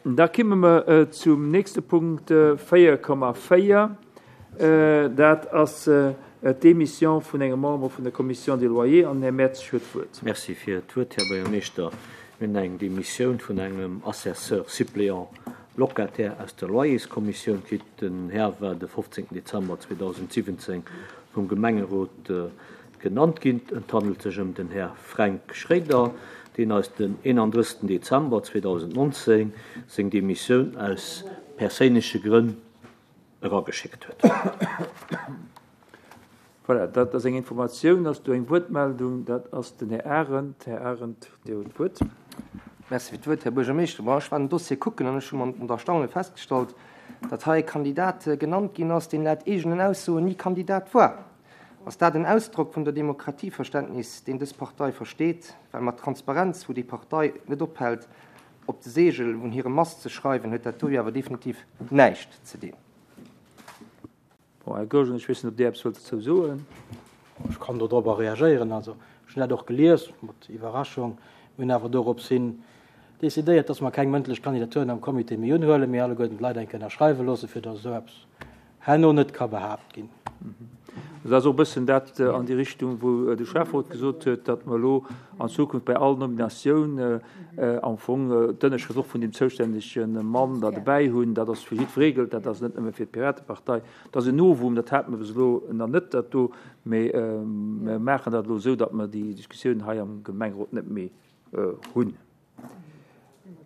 Da kimme mer zum nächste Punkt 4,4. Dat ass d'Demission vun engem Member vun der Commission des Loyers. An den Här Mertzig huet d'Wuert. Merci fir d'Wuert, Här Buergermeeschter. Mir hunn eng Demissioun vun engem Assesseur suppléant locataire aus der Loyerskommissioun kritt. Den Här war de 15 Dezember 2017 vum Gemengerot genannt ginn. Et handelt sech ëm den Här Fränk Schréider, deen eis den 31 Dezember 2019 seng Demissioun aus perséinleche Grënn erageschéckt huet. Voilà, dat ass eng Informatioun. Ass do eng Wuertmeldung? Dat ass den Här Arendt. Här Arendt, Dir hutt d'Wuert. Merci fir d'Wuert, Här Buergermeeschter. Bon, ech war den Dossier kucken an ech hu mat Erstaune festgestallt, datt hei e Kandidat genannt ginn ass, deen laut eegenen Aussoen ni Kandidat war. Ass dat en Ausdrock vun der Demokratieverständnis, deen dës Partei versteet? Well mat Transparenz, wou déi Partei net ophält, op de Seegel vun hirem Mast ze schreiwen, huet dat do jo awer definitiv näischt ze dinn. Bon, Här Goergen, ech weess net, ob Dir eppes wëllt dozou soen. Ech kann do dorobber reagéieren. Also, ech hunn dat och gelies, mat Iwwerraschung. Mir hunn awer dorops hin decidéiert, dass mer keng mëndlech Kandidaturen am Comité méi unhuelen, mee alleguerten d'Leit eng Kéier ënnerschreiwe loossen, fir dass esou eppes herno net ka behaapt ginn. Dat ass och e bëssen dat an déi Richtung, wou de Schäfferot gesot huet, datt mer elo an Zukunft bei all Nominatioun am Fong d'Ënnerschrëft och vun deem zoustännege Mann da dobäi hunn. Dat ass fir jiddweree gëllt dat, dat ass net nëmme fir d'Piratepartei. Dat ass en Novum, dat hate mer bis elo nach net, dat do. Mee mer maachen dat elo esou, datt mer déi Diskussioun hei am Gemengerot net méi hunn.